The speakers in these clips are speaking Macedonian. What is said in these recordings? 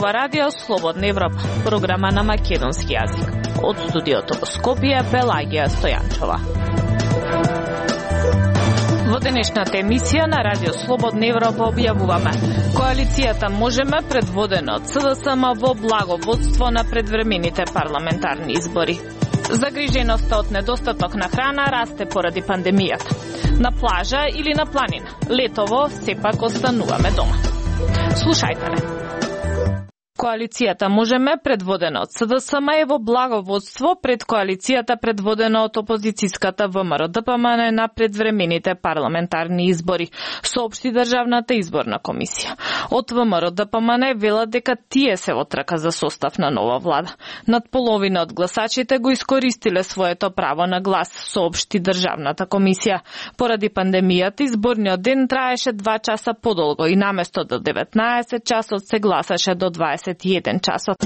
ова радио Слободна Европа, програма на македонски јазик. Од студиото во Скопје, Пелагија Стојанчова. Во денешната емисија на радио Слободна Европа објавуваме: коалицијата Можеме, предводена од СДСМ, во благо водство на предвремените парламентарни избори. Загриженоста од недостаток на храна расте поради пандемијата. На плажа или на планина, летово сепак остануваме дома. Слушајте ме. Коалицијата Можеме, предводена од СДСМ, е во благо водство пред коалицијата предводена од опозицијската ВМРО-ДПМН на предвремените парламентарни избори, соопшти Државната изборна комисија. Од ВМРО-ДПМН велат дека тие се во трка за состав на нова влада. Над половина од гласачите го искористиле своето право на глас, соопшти Државната комисија. Поради пандемијата, изборниот ден траеше 2 часа подолго и наместо до 19 часот се гласаше до 21 часот.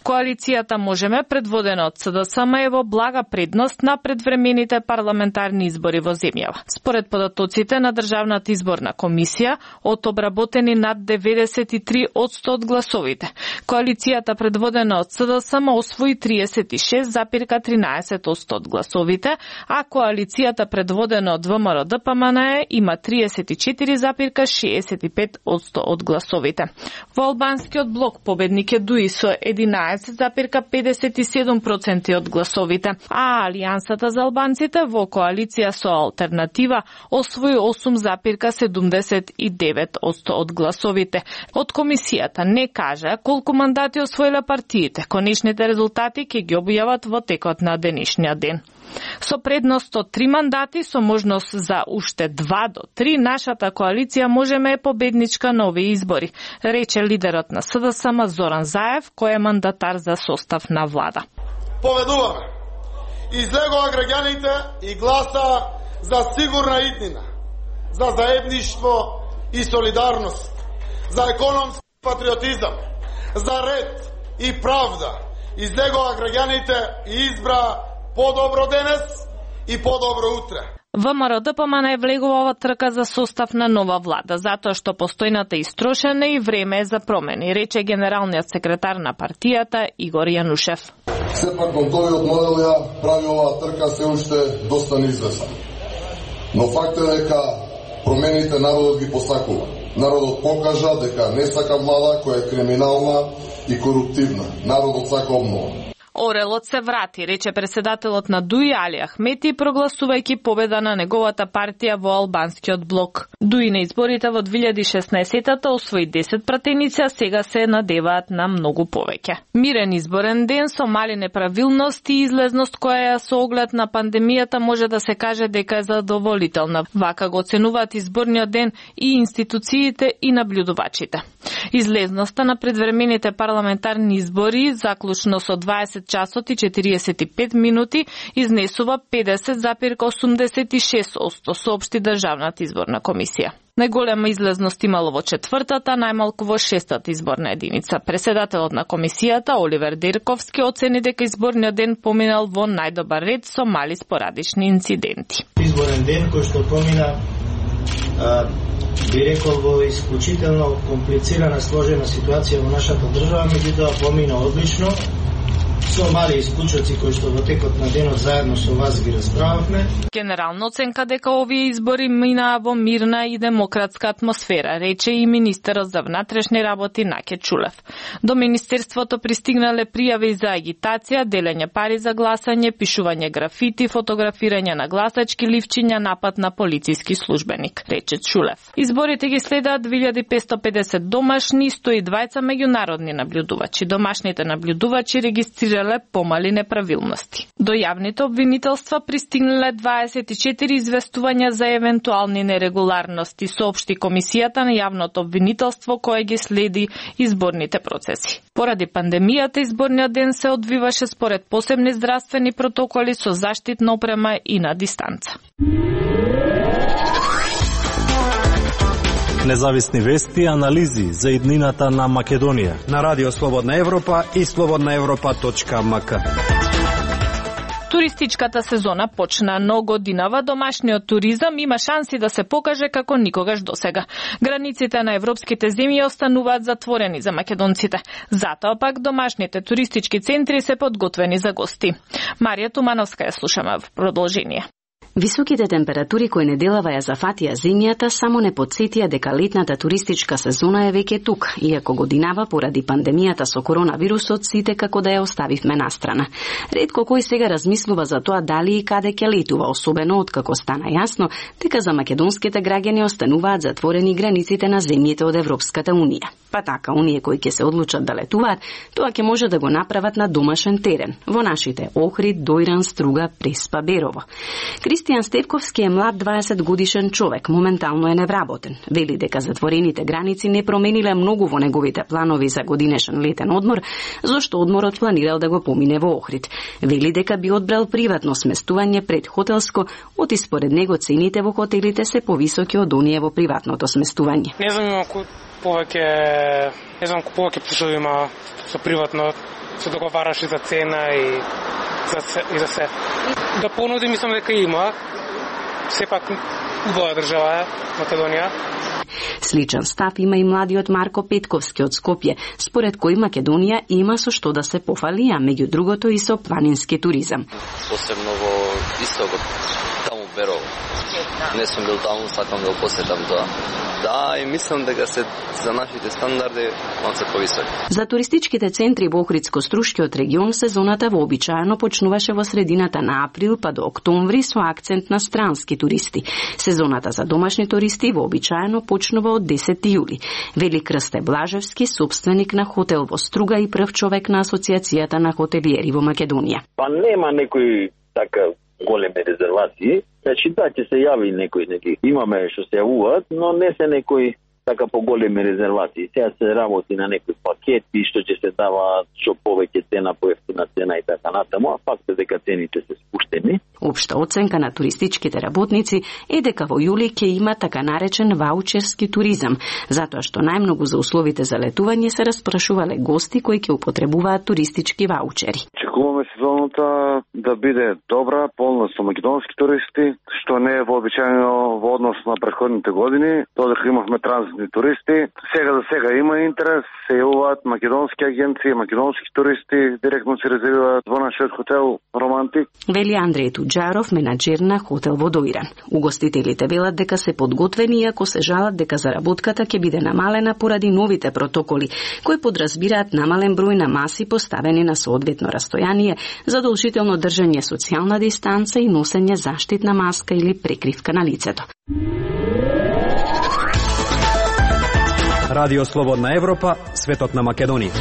Коалицијата Можеме, предводена од СДСМ, е во блага предност на предвремените парламентарни избори во земјава. Според податоците на Државната изборна комисија, од обработени над 93% од гласовите, коалицијата предводена од СДСМ освои 36,13% од гласовите, а коалицијата предводена од ВМРО-ДПМН има 34,65% од гласовите. Во албанскиот блок победник е Дуи со 11,57% од гласовите, а Алијансата за албанците во коалиција со Алтернатива освои 8,79% од гласовите. Од комисијата не кажа колку мандати освоиле партиите. Конечните резултати ќе ги објават во текот на денешниот ден. Со предност од 3 мандати, со можност за уште 2 до 3, нашата коалиција Можеме е победничка на овие избори, рече лидерот на СДСМ Зоран Заев, кој е мандатар за состав на влада. Поведуваме. Излегува граѓаните и гласа за сигурна иднина, за заедништво и солидарност, за економски патриотизам, за ред и правда. Излегува граѓаните и избра подобро денес и подобро утре. ВМРО-ДПМН влегува во трка за состав на нова влада, затоа што постојната истрошена и време е за промени, рече генералниот секретар на партијата Игор Јанушев. Сепак новиот модел ја прави оваа трка се уште доста неизвестна. Но факт е дека промените народот ги посакува. Народот покажа дека не сака влада која е криминална и коруптивна. Народот сака обнова. Орелот се врати, рече председателот на Дуи Али Ахмети, прогласувајќи победа на неговата партија во албанскиот блок. Дуи на изборите во 2016-та освои 10 пратеници, а сега се надеваат на многу повеќе. Мирен изборен ден со мали неправилности и излезност која со оглед на пандемијата може да се каже дека е задоволителна. Вака го оценуваат изборниот ден и институциите и наблюдувачите. Излезноста на предвремените парламентарни избори, заклучно со 20 часот и 45 минути, изнесува 50,86%, соопшти Државната изборна комисија. Најголема излезност имало во 4-та, најмалку во 6-та изборна единица. Председателот на комисијата Оливер Дирковски оцени дека изборниот ден поминал во најдобар ред со мали спорадични инциденти. Изборен ден кој што помина би рекол во исклучително комплицирана, сложена ситуација во нашата држава, меѓутоа помина одлично, со мали исклучоци кои што во текот на денот заедно со вас ги расправавме. Генерална оценка дека овие избори минаа во мирна и демократска атмосфера, рече и министерот за внатрешни работи Наке Чулев. До министерството пристигнале пријави за агитација, делење пари за гласање, пишување графити, фотографирање на гласачки ливчиња, напад на полициски службеник, рече Чулев. Изборите ги следаат 2550 домашни и 120 меѓународни наблюдувачи. Домашните наблюдувачи регистрирале помали неправилности. До јавните обвинителства пристигнале 24 известувања за евентуални нерегуларности, соопшти комисијата на јавното обвинителство кое ги следи изборните процеси. Поради пандемијата, изборниот ден се одвиваше според посебни здравствени протоколи со заштитна опрема и на дистанца. Независни вести и анализи за иднината на Македонија на Радио Слободна Европа и slobodnaevropa.mk. Туристичката сезона почна, но годинава домашниот туризам има шанси да се покаже како никогаш досега. Границите на европските земји остануваат затворени за македонците. Затоа пак домашните туристички центри се подготвени за гости. Марија Тумановска ја слушаме в продолжение. Високите температури кои неделава ја зафатија земјата само не потсетија дека летната туристичка сезона е веќе тук, иако годинава поради пандемијата со коронавирусот сите како да ја оставивме настрана. Ретко кој сега размислува за тоа дали и каде ќе летува, особено откако стана јасно дека за македонските граѓани остануваат затворени границите на земјите од Европската унија. Па така, оние кои ќе се одлучат да летуваат, тоа ќе може да го направат на домашен терен, во нашите Охрид, Дојран, Струга, Преспа, Берово. Кристијан Стевковски е млад 20 годишен човек, моментално е невработен. Вели дека затворените граници не промениле многу во неговите планови за годинешен летен одмор, зашто одморот планирал да го помине во Охрид. Вели дека би одбрал приватно сместување пред хотелско, оти според него цените во хотелите се повисоки од оние во приватното сместување. Не знам повеќе пушови има со приватно, се договараш и за цена и за се. Да понуди мислам дека има. Сепак убава држава Македонија. Сличен став има и младиот Марко Петковски од Скопје, според кој Македонија има со што да се пофали, а меѓу другото и со планински туризам. Посебно во истокот, таму Берово. Не сум бил таму, сакам да го посетам тоа. Да, и мислам дека се за нашите стандарди малку повисоки. За туристичките центри во Охридско-Струшкиот регион сезоната вообичаено почнуваше во средината на април па до октомври со акцент на странски туристи. Сезоната за домашни туристи вообичаено почнува од 10 јули. Вели Крсте Блажевски, собственик на хотел во Струга и прв човек на Асоциацијата на хотелиери во Македонија. Па нема некои така големи резервации. Значи да, ќе се јави некои, имаме што се јавуваат, но не се некои така поголеми резервации. Сега се работи на некои пакети што ќе се дава што повеќе цена, поевтина цена и така натаму, а факт е дека цените се спуштени. Општа оценка на туристичките работници е дека во јули ќе има така наречен ваучерски туризам, затоа што најмногу за условите за летување се распрашувале гости кои ќе употребуваат туристички ваучери. Очекуваме сезоната да биде добра, полна со македонски туристи, што не е вообичаено во однос на претходните години, додека имавме транзитни туристи. Сега за сега има интерес, се јавуваат македонски агенции, македонски туристи, директно се резервираат во нашиот хотел Романтик. Вели Андреј Туџаров, менаџер на хотел во Дојран. Угостителите велат дека се подготвени, иако се жалат дека заработката ќе биде намалена поради новите протоколи, кои подразбираат намален број на маси поставени на соодветно растојание, задолжително држање социјална дистанца и носење заштитна маска или прекривка на лицето. Радио Слободна Европа, светот на Македонија.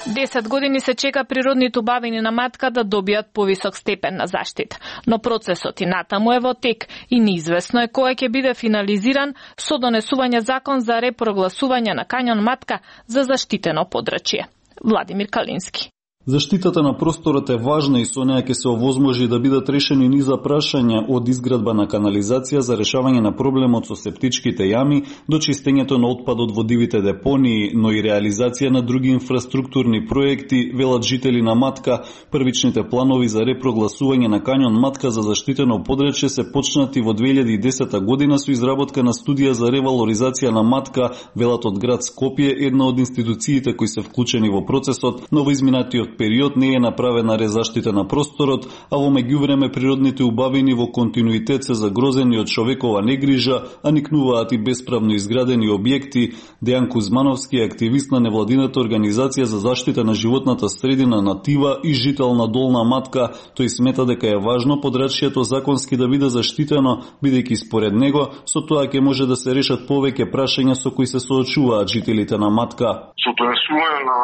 10 години се чека природните убавини на матка да добијат повисок степен на заштита, но процесот и натаму е во тек и неизвестно е кој ќе биде финализиран со донесување закон за репрогласување на кањон матка за заштитено подрачје. Владимир Калински. Заштитата на просторот е важна и со неја ќе се овозможи да бидат решени низа прашања од изградба на канализација за решавање на проблемот со септичките јами до чистењето на отпадот во дивите депонии, но и реализација на други инфраструктурни проекти, велат жители на Матка. Првичните планови за репрогласување на кањон Матка за заштитено подрачје се почнати во 2010 година со изработка на студија за ревалоризација на Матка, велат од град Скопје, една од институциите кои се вклучени во процесот, но во изминатиот период не е направена резаштита на просторот, а во меѓувреме природните убавини во континуитет се загрозени од човекова негрижа, а никнуваат и бесправно изградени објекти. Дејан Кузмановски е активист на невладината организација за заштита на животната средина Натива и жител на Долна Матка. Тој смета дека е важно подрачјето законски да биде заштитено, бидејќи според него со тоа ќе може да се решат повеќе прашања со кои се соочуваат жителите на Матка. Со донесување на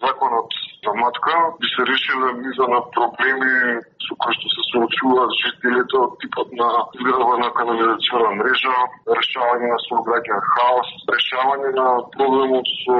законот за Матка би се решиле низа на проблеми со кои што се соочуваат жителите од типот на изградба на канализациона мрежа, решавање на сообраќајен хаос, решавање на проблемот со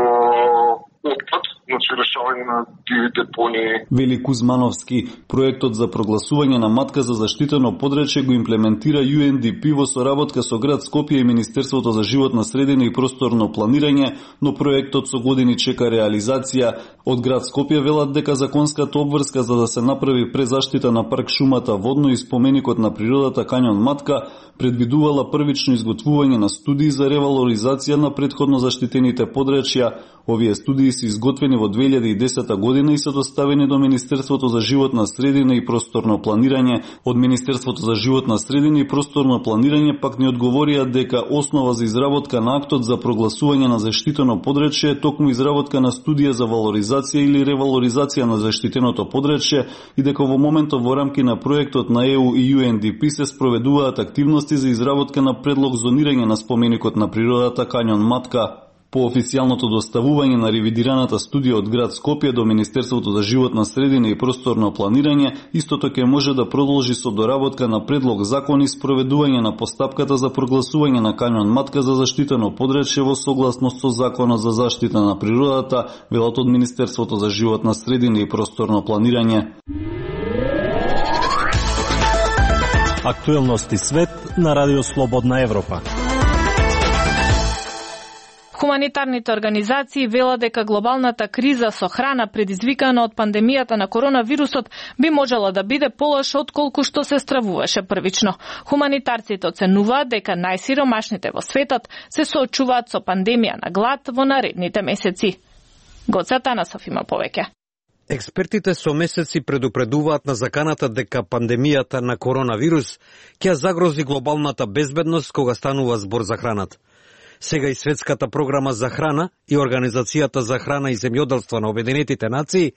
отпад, значи решавање на диви депонии. Вели Кузмановски, проектот за прогласување на матка за заштитено подречје го имплементира UNDP во соработка со град Скопје и Министерството за животна средина и просторно планирање, но проектот со години чека реализација. Од град Скопје велат дека законската обврска за да се направи презаштита на парк шумата Водно и споменикот на природата Кањон Матка предвидувала првично изготвување на студии за ревалоризација на претходно заштитените подречја. Овие студии се изготвени во 2010 година и се доставени до Министерството за животна средина и просторно планирање. Од Министерството за животна средина и просторно планирање пак ни одговорија дека основа за изработка на актот за прогласување на заштитено подречје е токму изработка на студија за валоризација или ревалоризација на заштитеното подречје и дека во моментот во рамки на проектот на ЕУ и UNDP се спроведуваат активности за изработка на предлог зонирање на споменикот на природата Кањон Матка. По официјалното доставување на ревидираната студија од град Скопје до Министерството за животна средина и просторно планирање, истото ќе може да продолжи со доработка на предлог закон и спроведување на постапката за прогласување на Кањон Матка за заштитено подречје во согласност со Законот за заштита на природата, велат од Министерството за животна средина и просторно планирање. Актуелности свет на Радио Слободна Европа. Хуманитарните организации велат дека глобалната криза со храна предизвикана од пандемијата на коронавирусот би можела да биде полоша отколку што се стравуваше првично. Хуманитарците оценуваат дека најсиромашните во светот се соочуваат со пандемија на глад во наредните месеци. Гоца Танасов има повеќе. Експертите со месеци предупредуваат на заканата дека пандемијата на коронавирус ќе загрози глобалната безбедност кога станува збор за храната. Сега и Светската програма за храна и Организацијата за храна и земјоделство на Обединетите нации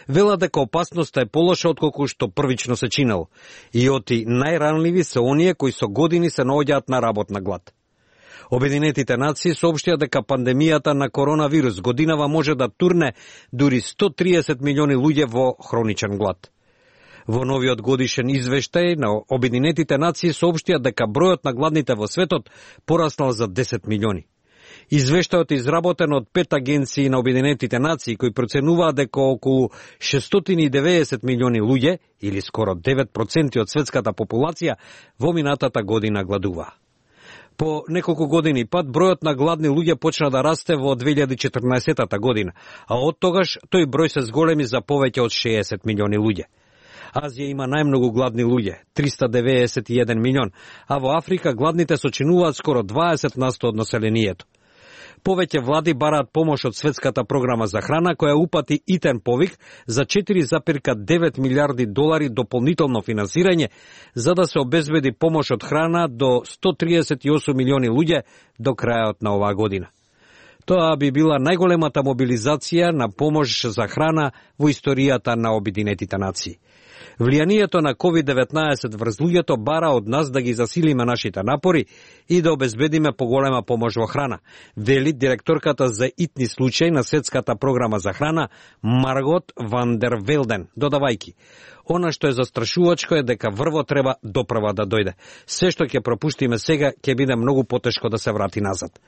вела дека опасноста е полоша отколку што првично се чинело. И оти најранливи се оние кои со години се наоѓаат на работна глад. Обединетите нации соопштија дека пандемијата на коронавирус годинава може да турне дури 130 милиони луѓе во хроничен глад. Во новиот годишен извештај на Обединетите нации соопштија дека бројот на гладните во светот пораснал за 10 милиони. Извештајот е изработен од 5 агенции на Обединетите нации кои проценуваат дека околу 690 милиони луѓе, или скоро 9% од светската популација, во минатата година гладува. По неколку години пат бројот на гладни луѓе почна да расте во 2014 година, а од тогаш тој број се зголеми за повеќе од 60 милиони луѓе. Азија има најмногу гладни луѓе, 391 милион, а во Африка гладните сочинуваат скоро 20% од населението. Повеќе влади бараат помош од Светската програма за храна, која упати итен повик за 4,9 милиарди долари дополнително финансирање, за да се обезбеди помош од храна до 138 милиони луѓе до крајот на оваа година. Тоа би била најголемата мобилизација на помош за храна во историјата на Обединетите нации. Влијанието на COVID-19 врз луѓето бара од нас да ги засилиме нашите напори и да обезбедиме поголема помош во храна, вели директорката за итни случаи на Светската програма за храна Маргот ван дер Велден, додавајки: она што е застрашувачко е дека врво треба допрва да дојде. Се што ќе пропуштиме сега ќе биде многу потешко да се врати назад.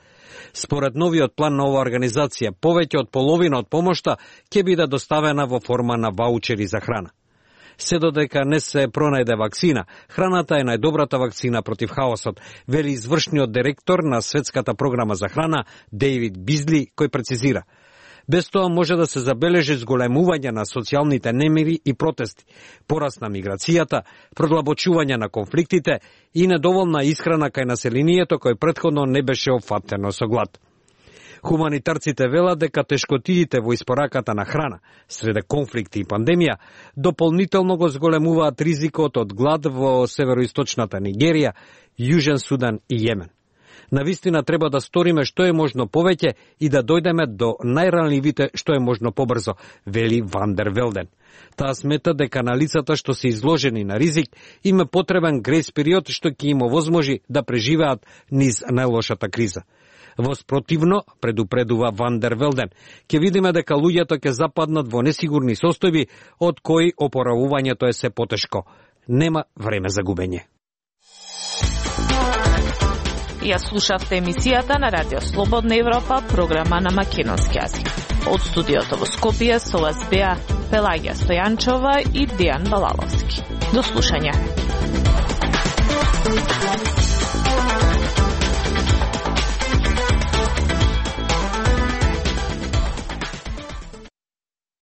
Според новиот план на оваа организација, повеќе од половина од помошта ќе биде доставена во форма на ваучери за храна. Се додека не се пронајде вакцина, храната е најдобрата вакцина против хаосот, вели извршниот директор на Светската програма за храна Дейвид Бизли, кој прецизира: без тоа може да се забележи зголемување на социјалните немири и протести, пораст на миграцијата, продлабочување на конфликтите и недоволна исхрана кај населението кој претходно не беше опфатено со глад. Хуманитарците велат дека тешкотиите во испораката на храна, среде конфликти и пандемија, дополнително го зголемуваат ризикот од глад во североисточната Нигерија, Јужен Судан и Јемен. Навистина треба да сториме што е можно повеќе и да дојдеме до најранливите што е можно побрзо, вели Ван дер Велден. Таа смета дека на лицата што се изложени на ризик им е потребен грејс период што ќе им овозможи да преживеат низ најлошата криза. Воспротивно, предупредува Ван дер Велден, ќе видиме дека луѓето ќе западнат во несигурни состојби од кои опоравувањето е се потешко. Нема време за губење. Ја слушавте емисијата на Радио Слободна Европа, програма на македонски јазик. Од студиото во Скопје со вас беа Пелагија Стојанчова и Дијан Балаловски. До слушање.